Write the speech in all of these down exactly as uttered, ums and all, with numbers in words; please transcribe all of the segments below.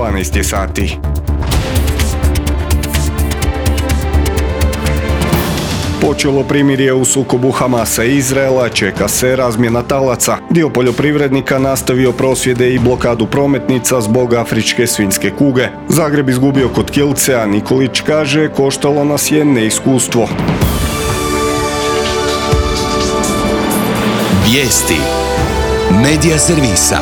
dvanaest je sati. Počelo primirje u sukobu Hamasa i Izraela, čeka se razmjena talaca. Dio poljoprivrednika nastavio prosvjede i blokadu prometnica zbog afričke svinjske kuge. Zagreb izgubio kod Kilce, a Nikolić kaže koštalo nas je neiskustvo. Vijesti Medija servisa.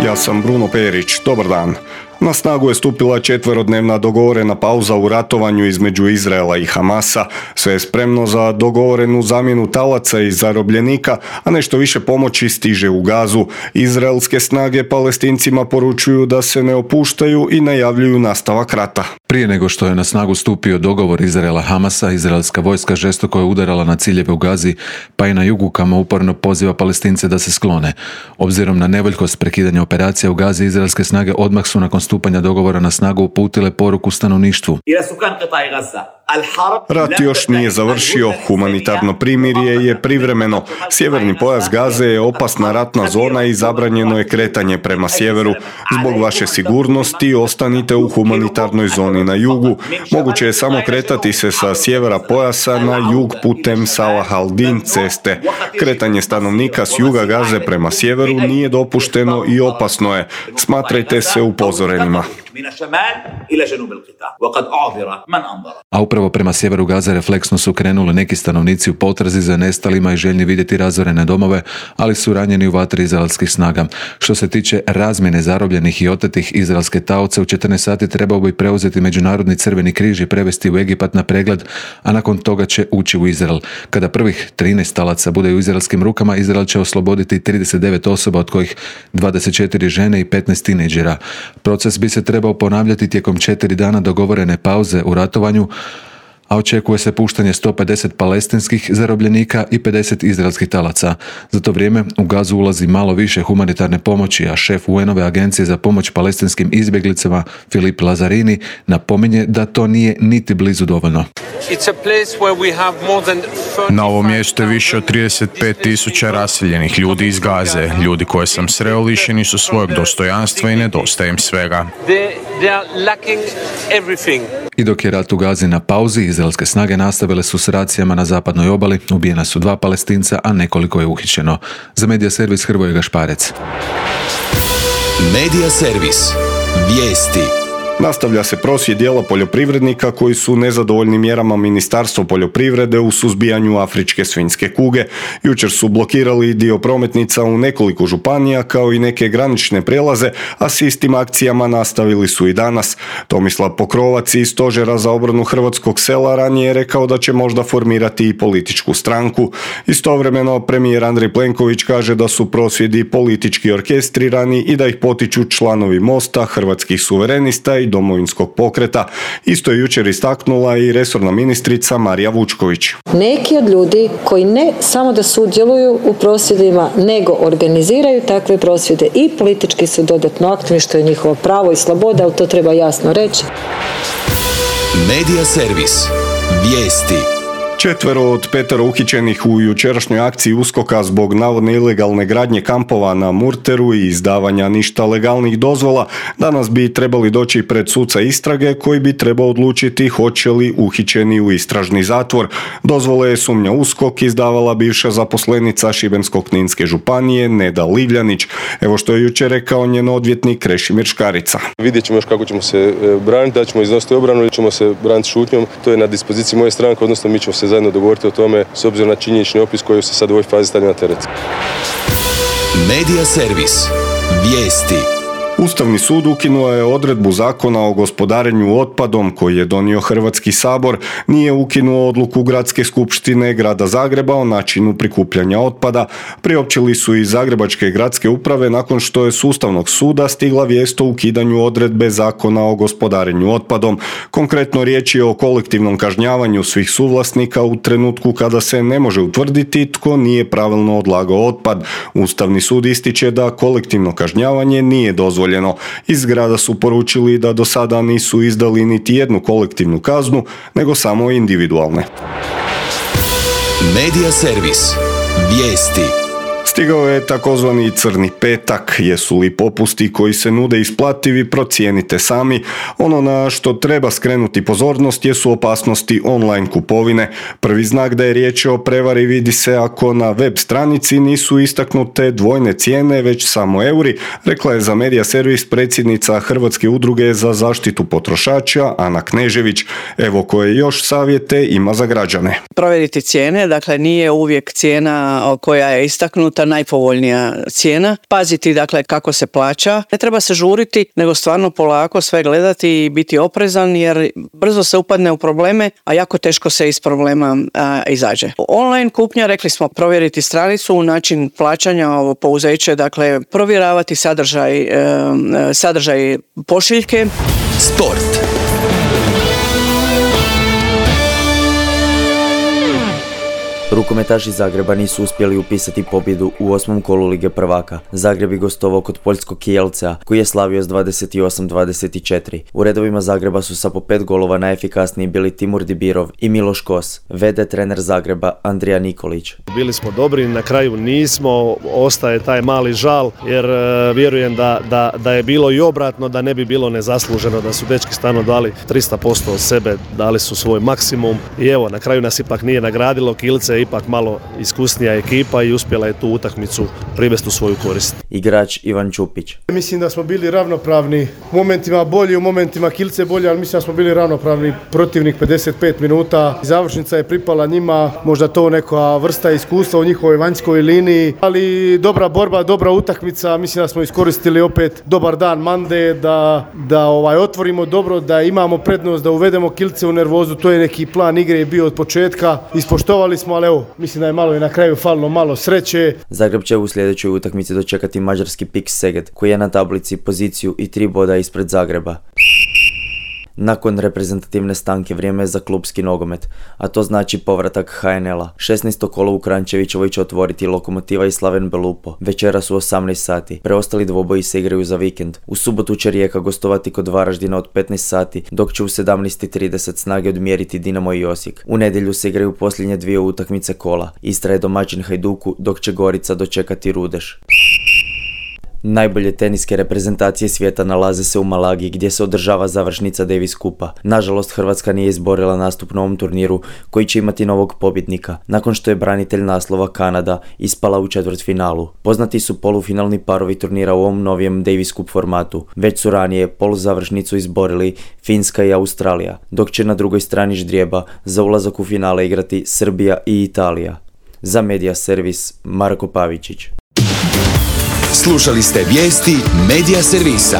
Ja sam Bruno Perić, dobar dan. Na snagu je stupila četverodnevna dogovorena pauza u ratovanju između Izraela i Hamasa. Sve je spremno za dogovorenu zamjenu talaca i zarobljenika, a nešto više pomoći stiže u Gazu. Izraelske snage Palestincima poručuju da se ne opuštaju i najavljuju nastavak rata. Prije nego što je na snagu stupio dogovor Izraela Hamasa, izraelska vojska žestoko je udarala na ciljeve u Gazi, pa i na jugu kamo uporno poziva Palestince da se sklone. Obzirom na nevoljkost prekidanja operacija u Gazi, izraelske snage odmah su nakon stupanja dogovora na snagu uputile poruku stanovništvu. Rat još nije završio, humanitarno primirje je privremeno. Sjeverni pojas Gaze je opasna ratna zona i zabranjeno je kretanje prema sjeveru. Zbog vaše sigurnosti ostanite u humanitarnoj zoni na jugu. Moguće je samo kretati se sa sjevera pojasa na jug putem Salah al-Din ceste. Kretanje stanovnika s juga Gaze prema sjeveru nije dopušteno i opasno je. Smatrajte se upozorenima. A upravo prema sjeveru Gaze refleksno su krenuli neki stanovnici u potrazi za nestalima i željni vidjeti razorene domove, ali su ranjeni u vatri izraelskih snaga. Što se tiče razmjene zarobljenih i otetih izraelske taoce, u četrnaest sati trebao bi preuzeti Međunarodni crveni križ i prevesti u Egipat na pregled, a nakon toga će ući u Izrael. Kada prvih trinaest talaca bude u izraelskim rukama, Izrael će osloboditi trideset devet osoba, od kojih dvadeset četiri žene i petnaest tinejdžera. Proces bi se trebao ponavljati tijekom četiri dana dogovorene pauze u ratovanju, a očekuje se puštanje sto pedeset palestinskih zarobljenika i pedeset izraelskih talaca. Za to vrijeme u Gazu ulazi malo više humanitarne pomoći, a šef U N-ove agencije za pomoć palestinskim izbjeglicama Filip Lazarini napominje da to nije niti blizu dovoljno. Na ovom mjestu je više od trideset pet tisuća raseljenih ljudi iz Gaze. Ljudi koje sam sreo lišeni su svojeg dostojanstva i nedostaje im svega. I dok je rat u Gazi na pauzi, izraelske snage nastavile su s racijama na zapadnoj obali, ubijena su dva Palestinca, a nekoliko je uhićeno. Za Medija servis Hrvoje Gašparec. Medija servis. Vijesti. Nastavlja se prosvjed dijela poljoprivrednika koji su nezadovoljni mjerama Ministarstva poljoprivrede u suzbijanju afričke svinjske kuge. Jučer su blokirali dio prometnica u nekoliko županija kao i neke granične prijelaze, a s istim akcijama nastavili su i danas. Tomislav Pokrovac iz Stožera za obranu hrvatskog sela ranije je rekao da će možda formirati i političku stranku. Istovremeno premijer Andrej Plenković kaže da su prosvjedi politički orkestrirani i da ih potiču članovi Mosta, Hrvatskih suverenista i Domovinskog pokreta. Isto je jučer istaknula i resorna ministrica Marija Vučković. Neki od ljudi koji ne samo da sudjeluju u prosvjedima, nego organiziraju takve prosvjede i politički su dodatno aktivni, što je njihovo pravo i sloboda, ali to treba jasno reći. Medija servis. Vijesti. Četvero od petero uhićenih u jučerašnjoj akciji USKOK-a zbog navodne ilegalne gradnje kampova na Murteru i izdavanja ništa legalnih dozvola danas bi trebali doći pred suca istrage koji bi trebao odlučiti hoće li uhićeni u istražni zatvor. Dozvole je, sumnja USKOK, izdavala bivša zaposlenica Šibensko-kninske županije Neda Livljanić. Evo što je jučer rekao njen odvjetnik Krešimir Škarica. Vidjet ćemo još kako ćemo se braniti, da ćemo iznositi obranu ili ćemo se braniti šutnjom. To je na dispoziciji moje stranke, odnosno mi ćemo se zajedno dogovoriti o tome s obzirom na činjenični opis koji se sad u ovoj fazi stavlja na teret. Medija servis. Vijesti. Ustavni sud ukinuo je odredbu Zakona o gospodarenju otpadom koji je donio Hrvatski sabor, nije ukinuo odluku Gradske skupštine Grada Zagreba o načinu prikupljanja otpada. Priopćili su i Zagrebačke gradske uprave nakon što je s Ustavnog suda stigla vijest o ukidanju odredbe Zakona o gospodarenju otpadom. Konkretno riječ je o kolektivnom kažnjavanju svih suvlasnika u trenutku kada se ne može utvrditi tko nije pravilno odlagao otpad. Ustavni sud ističe da kolektivno kažnjavanje nije dozvoljeno. Iz grada su poručili da do sada nisu izdali niti jednu kolektivnu kaznu, nego samo individualne. Medija servis. Vijesti. Stigao je takozvani crni petak. Jesu li popusti koji se nude isplativi, procijenite sami. Ono na što treba skrenuti pozornost jesu opasnosti online kupovine. Prvi znak da je riječ o prevari vidi se ako na web stranici nisu istaknute dvojne cijene, već samo euri, rekla je za Medija Servis predsjednica Hrvatske udruge za zaštitu potrošača Ana Knežević. Evo koje još savjete ima za građane. Provjeriti cijene, dakle nije uvijek cijena koja je istaknuta najpovoljnija cijena. Paziti dakle kako se plaća. Ne treba se žuriti, nego stvarno polako sve gledati i biti oprezan, jer brzo se upadne u probleme, a jako teško se iz problema a, izađe. Online kupnja, rekli smo, provjeriti stranicu, način plaćanja, ovo pouzeće, dakle provjeravati sadržaj, e, sadržaj pošiljke. Sport. Rukometaši Zagreba nisu uspjeli upisati pobjedu u osmom kolu Lige prvaka. Zagreb je gostovao kod poljskog Kielcea, koji je slavio s dvadeset osam dvadeset četiri. U redovima Zagreba su sa po pet golova najefikasniji bili Timur Dibirov i Miloš Kos, v d trener Zagreba Andrija Nikolić. Bili smo dobri, na kraju nismo, ostaje taj mali žal, jer e, vjerujem da, da, da je bilo i obratno, da ne bi bilo nezasluženo, da su dečki stvarno dali tristo posto od sebe, dali su svoj maksimum i evo, na kraju nas ipak nije nagradilo. Kielce ipak malo iskusnija ekipa i uspjela je tu utakmicu privesti u svoju korist. Igrač Ivan Čupić. Mislim da smo bili ravnopravni, u momentima bolji, u momentima Kielce bolji, ali mislim da smo bili ravnopravni. Protivnik pedeset pet minuta, završnica je pripala njima, možda to neka vrsta iskustva u njihovoj vanjskoj liniji, ali dobra borba, dobra utakmica, mislim da smo iskoristili opet dobar dan Mande, da, da ovaj, otvorimo dobro, da imamo prednost, da uvedemo Kielce u nervozu, to je neki plan igre je bio od početka, ispoštovali smo, ali evo, mislim da je malo i na kraju falilo malo sreće. Zagreb će u sljedećoj utakmici dočekati mađarski Pik Szeged, koji je na tablici poziciju i tri boda ispred Zagreba. Nakon reprezentativne stanke vrijeme je za klubski nogomet, a to znači povratak ha en el-a. šesnaesto kolo u Kranjčevićevoj će otvoriti Lokomotiva i Slaven Belupo. Večeras u osamnaest sati. Preostali dvoboji se igraju za vikend. U subotu će Rijeka gostovati kod Varaždina od petnaest sati, dok će u sedamnaest trideset Snage odmjeriti Dinamo i Osijek. U nedjelju se igraju posljednje dvije utakmice kola. Istra je domaćin Hajduku, dok će Gorica dočekati Rudeš. Najbolje teniske reprezentacije svijeta nalaze se u Malagi, gdje se održava završnica Davis Kupa. Nažalost, Hrvatska nije izborila nastup na ovom turniru, koji će imati novog pobjednika, nakon što je branitelj naslova Kanada ispala u četvrtfinalu. Poznati su polufinalni parovi turnira u ovom novijem Davis Cup formatu. Već su ranije poluzavršnicu izborili Finska i Australija, dok će na drugoj strani ždrijeba za ulazak u finale igrati Srbija i Italija. Za Medija Servis, Marko Pavičić. Slušali ste vijesti Medija Servisa.